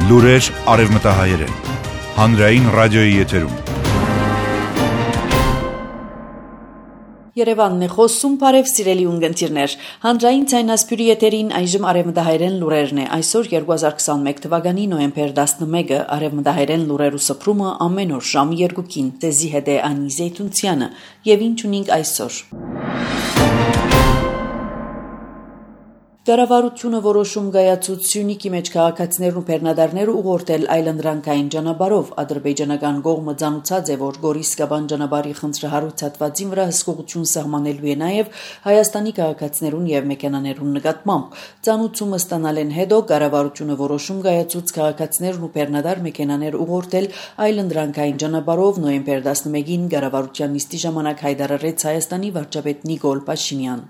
Լուրեր արևմտահայերեն։ Հանրային ռադիոյի եթերում։ Երևանն է խոսում, բարև սիրելի ունգընտիրներ։ Հանրային ցայնասպյուրի եթերին այժմ արևմտահայերեն լուրերն է։ Այսօր 2021 թվականի նոյեմբեր 11-ը արևմտահայերեն լուրերու սփռումը ամեն օր ժամը 2-ին տեզի հետ է Անի Զեյթունցյանը եւ ինչ ունենք այսօր։ Կառավարությունը որոշում կայացուց Սյունիքի մեջ քաղաքացիներն ու բեռնադարները ուղղորդել այլընտրանքային ճանապարհով ադրբեջանական կողմը ցանուցած է, որ Գորիս-Կաբան ճանապարհի խնդրահարույց հատվածին վրա հսկողություն սահմանելու է նաև Հայաստանի քաղաքացիներուն եւ մեքենաներուն նկատմամբ։ Ցանուցումը ստանալեն հետո կառավարությունը որոշում կայացուց քաղաքացիներն ու բեռնադար մեքենաներ ուղղորդել այլընտրանքային ճանապարհով նոյեմբեր 11-ին կառավարության նիստի ժամանակ հայտարարեց Հայաստանի վարչապետ Նիկոլ Փաշինյան։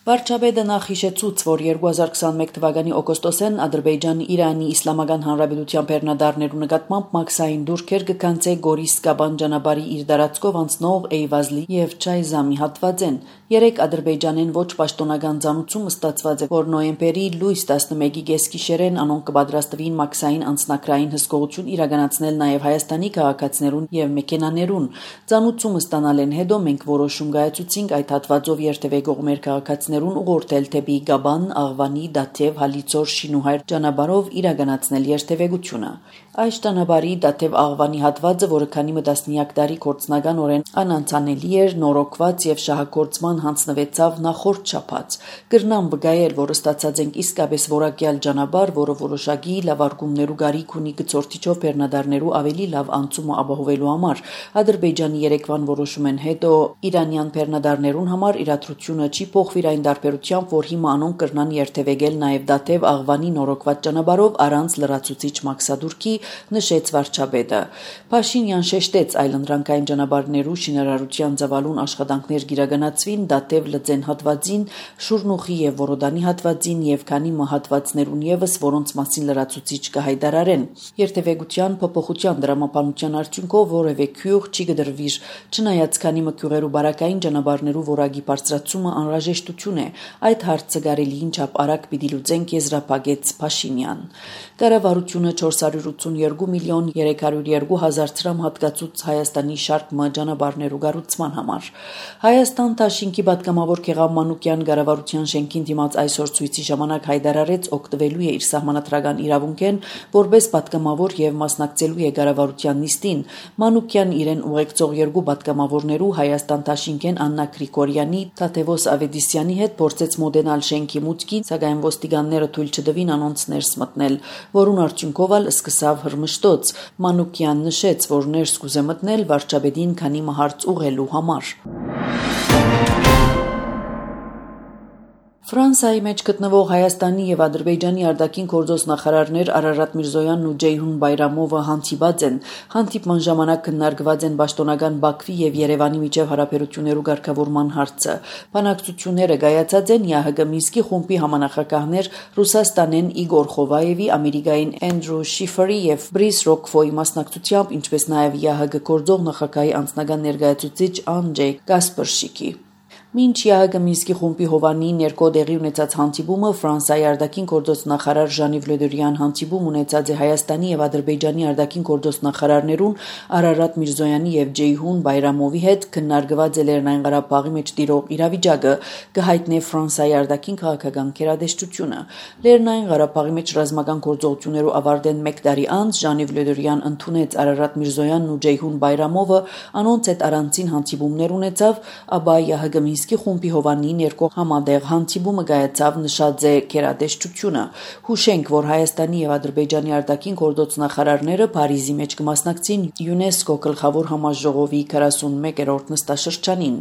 Վարչապետը նախ հիշեցուց, որ 2021 թվականի օգոստոսին Ադրբեջանը Իրանի Իսլամական Հանրապետության բեռնադարներու նկատմամբ մաքսային դուրքեր կկանցե Գորիս-Կաբան ճանապարհի իր դարածքով անցնող Էյվազլի եւ Չայզամի հատվածեն։ Երեք Ադրբեջանեն ոչ պաշտոնական ցանուցում ստացված է, որ նոյեմբերի լույս 11-ի գեսկիշերեն անոնք կպատրաստվին մաքսային անձնակրային հսկողություն իրականացնել նաև Հայաստանի քաղաքացիներուն եւ մեքենաներուն։ Ցանուցումը ստանալեն հետո մենք որոշում կայացուցինք այդ հատվածով երթևեկող մեր քաղաքացիներուն ուղղորդել դեպի Գաբան, Աղվանի, Դաթև, Հալիձոր, Շինուհայր ճանապարհով իրականացնել երթևեկությունը։ Այս ճանապարհի Դաթև Աղվանի հատվածը, որը քանի տասնյակ տարի գործնականորեն անանցանելի էր, նորոգված եւ շահագործման հանձնվեցավ նախորդ շաբաթ։ Կրնամ վկայել, որ ստացած ենք իսկապես որակյալ ճանապարհ, որը որոշակի լավարկումներու գարիք ունի գծորդիչով բեռնադարներու ավելի լավ անցումը ապահովելու համար։ Ադրբեջանի երեկվան որոշումեն հետո իրանյան բեռնադարներուն համար իրադրությունը չի փոխվիր այն դարբերությամբ, որ հիմա անոնք կրնան երթևեկել նաև Դաթև Աղվանի նորոգված ճանապարհով առանց լրացուցիչ մաքսադուրքի, նշեց վարչապետը։ Փաշինյան շեշտեց այլընտրանքային ճանապարհներու շինարարության ծավալուն աշխատանքներ գիրականացվին Դաթև Լծեն հատվածին, Շուրնուխի եւ Որոդանի հատվածին եւ քանի հատվածներուն եւս, որոնց մասին լրացուցիչ կհայտարարեն։ Երթևեկության փոփոխության դրամապանության արդյունքով որևէ քյուղ չի գդրվիր, չնայած քանի մկյուղերու բարակային ճանապարհներու որակի բարձրացումը անհրաժեշտություն է, այդ հարցը կարելի ինչապ արագ պիտի լուծենք, եզրափակեց Փաշինյան։ Կառավարությունը 482 միլիոն 302 հազար դրամ հատկացուց Հայաստանի շարք ճանապարհներու կառուցման համար։ Հայաստան Դաշինքի պատգամավոր Գեղամ Մանուկյան կառավարության շենքին դիմաց այսօր ցույցի ժամանակ հայտարարեց օգտվելու է իր սահմանադրական իրավունքեն, որպես պատգամավոր եւ մասնակցելու է կառավարության նիստին։ Մանուկյան իրեն ուղեկցող երկու պատգամավորներու Հայաստան Դաշինքեն Աննա Գրիգորյանի, Թաթևոս Ավետիսյանի հետ փորձեց մոդենալ շենքի մուտքին, սակայն ոստիկանները թույլ չտվին անոնց ներս մտնել, որուն արդյունքով ալ սկսավ հրմշտոց։ Մանուկյան նշեց, որ ներս կուզե մտնել վարչապետին քանի հարց ուղղելու համար։ Ֆրանսիայի մեջ գտնվող Հայաստանի եւ Ադրբեջանի արտաքին գործոստ նախարարներ Արարատ Միրզոյանն ու Ջեյհուն Բայրամովը հանդիպած են։ Հանդիպման ժամանակ քննարկված են պաշտոնական Բաքվի եւ Երևանի միջև հարաբերություններու ղեկավարման հարցը։ Բանակցությունները կայացած են ՀՀԳ Մինսկի խումբի համանախագահներ Ռուսաստանեն Իգոր Խովայևի, Ամերիկային Էնդրու Շիֆերի եւ Բրիս Ռոկֆոյի մասնակցությամբ, ինչպես նաեւ ՀՀԳ գործող նախագահի անձնական ներկայացուցիչ Անջեյ Կասպերշիկի։ Մինչ ՀՀԳ Մինսկի խումբի Հովանի ներկո դեղի ունեցած հանդիպումը Ֆրանսիայի արտաքին գործոստ նախարար Ժան-Իվ Լե Դրյան հանդիպում ունեցած է Հայաստանի եւ Ադրբեջանի արտաքին գործոստ նախարարներուն Արարատ Միրզոյանի եւ Ջեյհուն Բայրամովի հետ քննարկված է Լեռնային Ղարաբաղի մեջ տիրող իրավիճակը, կհայտնի Ֆրանսիայի արտաքին քաղաքական գերատեսչությունը։ Լեռնային Ղարաբաղի մեջ ռազմական գործողություններու ավարտեն 1 տարի անց Ժան-Իվ Լե Դրյան ընդունեց Արարատ Միրզոյանն ու Ջեյհուն Բայրամովը, անոնց հետ առանցին հանդիպումներ ունեցավ, ապա ՀՀԳ Մինսկի խումբի Հովանի ներկո համատեղ հանդիպումը կայացավ, նշած է գերատեսչությունը։ Հուշենք, որ Հայաստանի եւ Ադրբեջանի արտաքին գործոստ նախարարները Փարիզի մեջ կմասնակցին ՅՈՒՆԵՍԿՕ գլխավոր համաժողովի 41-րդ նստաշրջանին։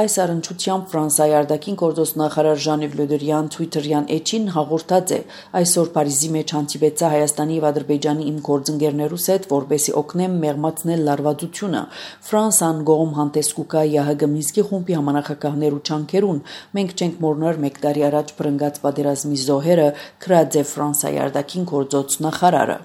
Այս առնչությամբ Ֆրանսիայի արտաքին գործոստ նախարար Ժան-Իվ Լե Դրյան Twitter-յան էջին հաղորդած է. այսօր Փարիզի մեջ հանդիպեցա Հայաստանի եւ Ադրբեջանի իմ գործընկերներուս հետ, որպեսզի օգնեմ մեղմացնել լարվածությունը։ Ֆրանսան գոհում հանդես կուկա ՀՀԳ Մինսկի խումբի համանախագահներու չանքերուն, մենք չենք մոռանալ 1 տարի առաջ բռնկած պատերազմի զոհերը, գրած է Ֆրանսիայի արտաքին գործոստ նախարարը։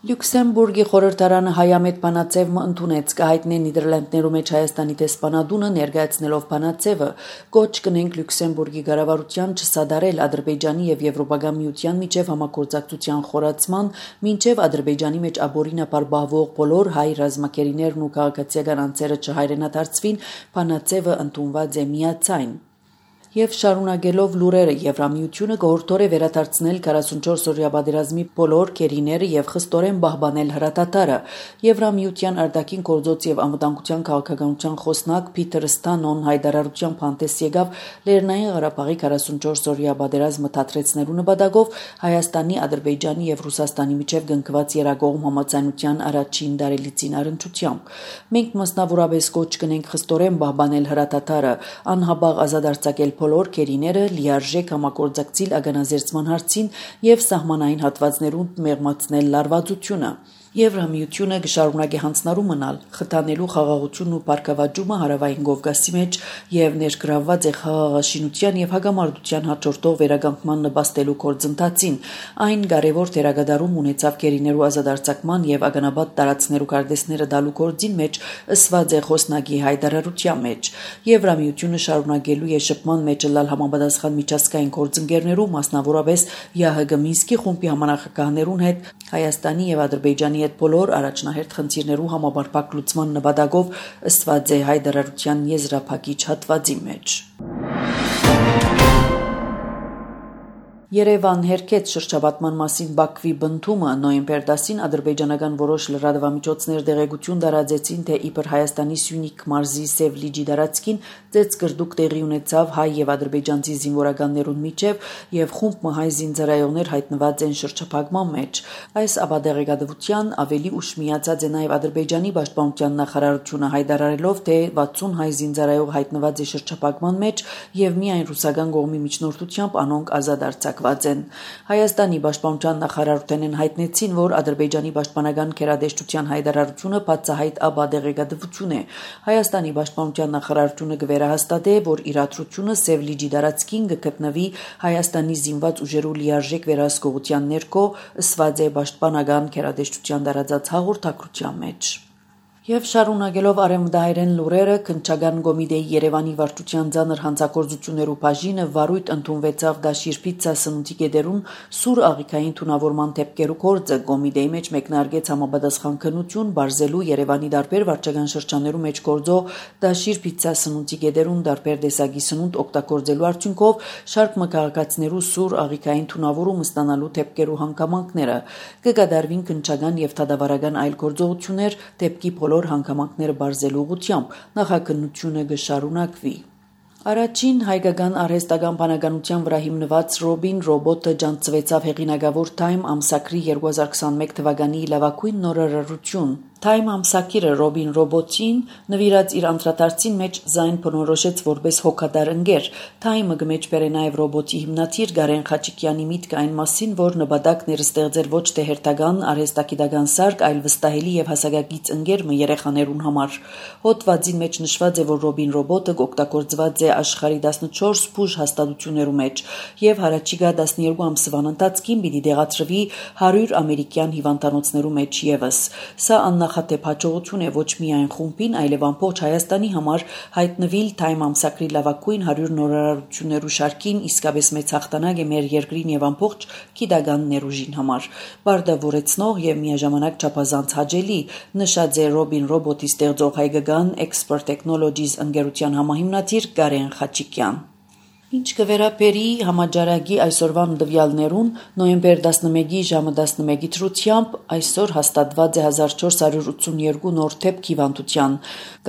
Լյուքսեմբուրգի խորհրդարանը հայամետ բանաձևը ընդունեց կհայտնե Նիդերլանդներու մեջ Հայաստանի դեսպանատունը ներկայացնելով բանաձևը կոչ կնենք Լյուքսեմբուրգի կառավարության չսադարել Ադրբեջանի եւ Եվրոպական միության միջև համագործակցության խորացման մինչեւ Ադրբեջանի մեջ աբորինապար բահվող բոլոր հայ ռազմակերիներն ու քաղաքացիական անձերը չհայրենադարձվին բանաձևը ընդունված է միացայն Եվ շարունակելով լուրերը Եվրամիությունը գորտոր է վերադարձնել 44-օրյա պատերազմի բոլոր կերիները եւ խստորեն պահպանել հրատատարը Եվրամիության արտաքին գործոց եւ անվտանգության քաղաքականության խոսնակ Փիթեր Ստանոն հայտարարության փանտես եկավ Լեռնային Ղարաբաղի 44-օրյա պատերազմը դադրեցնելու նպատակով Հայաստանի, Ադրբեջանի եւ Ռուսաստանի միջև կնքված երակողմ համաձայնության առաջին դարելիցին առընչությամբ մենք մասնավորապես կոչ կնենք խստորեն պահպանել հրատատարը անհաբաղ ազատարձակել բոլոր կերիները լիարժեք համագործակցել ագանազերծման հարցին եւ սահմանային հատվածներում մեղմացնել լարվածությունը Եվրամիությունը կշարունակի հանձնարարու մնալ խթանելու խաղաղությունն ու բարգավաճումը հարավային Կովկասի մեջ եւ ներգրավված է խաղաղաշինության եւ հագամարտության հաջորդող վերականգնման նպաստելու գործընթացին այն կարևոր դերակատարում ունեցավ կերիներու ազատարձակման եւ ագանաբադ տարածքներու կարդեսները դալու գործին մեջ ըսված է խոսնակի հայտարարության մեջ Եվրամիությունը շարունակելու է շփման մեջ լալ համապատասխան միջազգային գործընկերներու մասնավորապես ՀՀԳ Մինսկի խումբի համանախագահներուն հետ Հայաստանի եւ Ադրբեջանի հետ բոլոր առաջնահերթ խնդիրներու համապարփակ լուծման նպատակով ըսված է հայտարարության եզրափակիչ հատվածի մեջ Երևան հերքեց շրջապատման մասին Բաքվի բնդումը նոյեմբեր 10-ին ադրբեջանական որոշ լրատվամիջոցներ դեղեցություն տարածեցին թե իբր Հայաստանի Սյունիք մարզի Սև լիճի տարածքին ծեծկրդուկ տեղի ունեցավ հայ եւ ադրբեջանցի զինվորականներուն միջև եւ խումբ մհայ զինծառայողներ հայտնված են շրջափակման մեջ այս ապադեղեկատվության ավելի ուշ միացած է նաեւ Ադրբեջանի պաշտպանության նախարարությունը հայտարարելով թե 60 հայ զինծառայող հայտնված է շրջափակման մեջ եւ միայն ռուսական կողմի միջնորդությամբ անոնք ազատ Հայաստանի պաշտպանության նախարարութենեն հայտնեցին, որ Ադրբեջանի պաշտպանական քերադեշտության հայտարարությունը բացահայտ ապադեղեկատվություն է։ Հայաստանի պաշտպանության նախարարությունը կվերահաստատե, որ իրադրությունը Սև լիճի տարածքին կգտնվի Հայաստանի զինված ուժերու լիարժեք վերահսկողության ներքո, ըսված է պաշտպանական քերադեշտության տարածած հաղորդագրության մեջ։ Եվ շարունակելով արևմտահայերեն լուրերը քննչական կոմիտեի Երևանի վարչության ցաներ հանցագործություններու բաժինը վարույթ ընդունվեցավ դաշիր պիցցա սնունդի գեդերուն սուր աղիքային թունավորման դեպքերու գործը կոմիտեի մեջ մեկնարկեց համապատասխան քննություն բարձելու Երևանի դարբեր վարչական շրջաններու մեջ գործող դաշիր պիցցա սնունդի գեդերուն դարբեր տեսակի սնունդ օգտագործելու արդյունքով շարք մկաղակացներու սուր աղիքային թունավորում ստանալու դեպքերու հանգամանքները կկատարվին քննչական եւ դատավարական այլ գործողություններ դեպքի հանգամանքները բարձելու ուղղությամբ նախաքննությունը կշարունակվի Առաջին հայկական արհեստական բանականության վրա հիմնված Ռոբին ռոբոտը ջանցվեցավ հեղինակավոր Time ամսագրի 2021 թվականի լավագույն նորարարություն Time ամսագիրը Ռոբին ռոբոտին նվիրած իր անդրադարձին մեջ զայն բնորոշեց որպես հոգատար ընկեր Time-ը գմեջբեր է նաև ռոբոտի հիմնադիր Գարեն Խաչիկյանի միտքը այն մասին որ նպատակն էր ստեղծել ոչ թե հերթական արհեստագիտական սարք այլ վստահելի եւ հասակագից ընկեր մը երեխաներուն համար հոդվածին մեջ նշված է որ Ռոբին ռոբոտը օգտագործված է աշխարհի 14 բուժ հաստատություններու մեջ եւ հարաճիգա 12 ամսվան ընթացքին պիտի դեղացրվի 100 ամերիկյան հիվանդանոցներու մեջ եւս սա նախատեպ հաջողություն է ոչ միայն խումբին, այլև ամբողջ Հայաստանի համար հայտնվիլ Time ամսագրի լավագույն 100 նորարարություններու շարքին իսկապես մեծ հաղթանակ է մեր երկրին եւ ամբողջ գիտական ներուժին համար։ Բարդավորեցնող եւ միաժամանակ չափազանց հաճելի նշած է Ռոբին ռոբոտի ստեղծող հայկական Expert Technologies ընկերության համահիմնադիր Գարեն Խաչիկյան։ Ինչ կվերապերի համաճարակի այսօրվան տվյալներուն նոյեմբեր 11-ի ժամը 11-ի թրությամբ այսօր հաստատված է 1482 նոր դեպք հիվանդության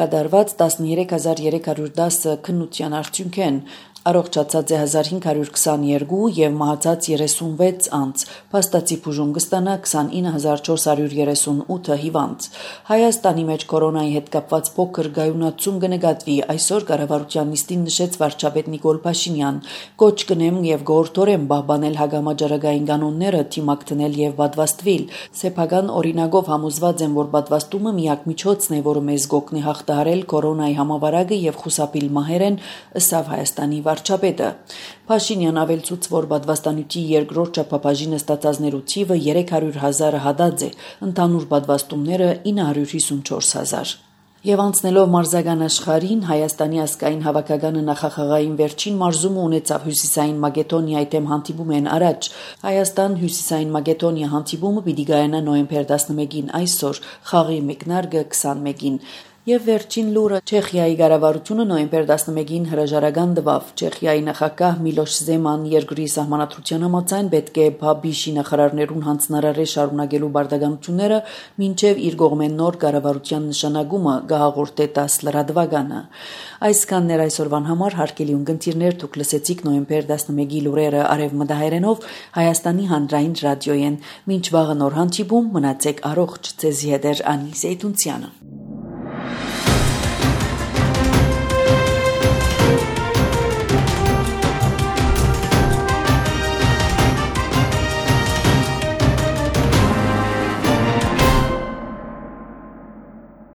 կատարված 13310 քննության արդյունքեն առողջացած է 1522 եւ մահացած 36 անց փաստացի բուժում կստանա 29438 հիվանդ Հայաստանի մեջ կորոնայի հետ կապված փոքր գայունացում կնկատվի այսօր կառավարության նիստին նշեց վարչապետ Նիկոլ Փաշինյան կոչ կնեմ եւ գործորեն պահպանել հագամաճարակային կանոնները թիմակտնել եւ պատվաստվել սեփական օրինակով համոզված են որ պատվաստումը միակ միջոցն է որը մեզ կօգնի հաղթահարել կորոնայի համավարակը եւ խուսափել մահերեն ըսավ Հայաստանի վարչապետը։ Փաշինյան ավելցուց, որ պատվաստանյութի երկրորդ չափաբաժինը ստացածներու թիվը 300,000 հադած է, ընդհանուր պատվաստումները 954,000։ Եվ անցնելով մարզական աշխարհին, Հայաստանի ազգային հավաքականը նախախաղային վերջին մարզումը ունեցավ Հյուսիսային Մակեդոնիայի դեմ հանդիպում առաջ։ Հայաստան-Հյուսիսային Մակեդոնիա հանդիպումը պիտի կայանա նոյեմբեր 11-ին այսօր, խաղի մեկնարկը 21-ին։ Եվ վերջին լուրը Չեխիայի կառավարությունը նոյեմբեր 11-ին հրաժարական տվավ։ Չեխիայի նախագահ Միլոշ Զեման երկրի սահմանադրության համաձայն պետք է ԲԱԲԻՇ-ի նախարարներուն հանձնարարել շարունակելու բարդականությունները մինչև իր կողմեն նոր կառավարության նշանակումը կհաղորդե 10 լրատվականը։ Այսքաններ այսօրվան համար հարգելի ունկնդիրներ, դուք լսեցիք նոյեմբեր 11-ի լուրերը արևմտահայերենով Հայաստանի հանրային ռադիոյեն։ Մինչ վաղը նոր հանդիպում, մնացեք առողջ, ձեզի հետ է Անի Զեյթունցյանը։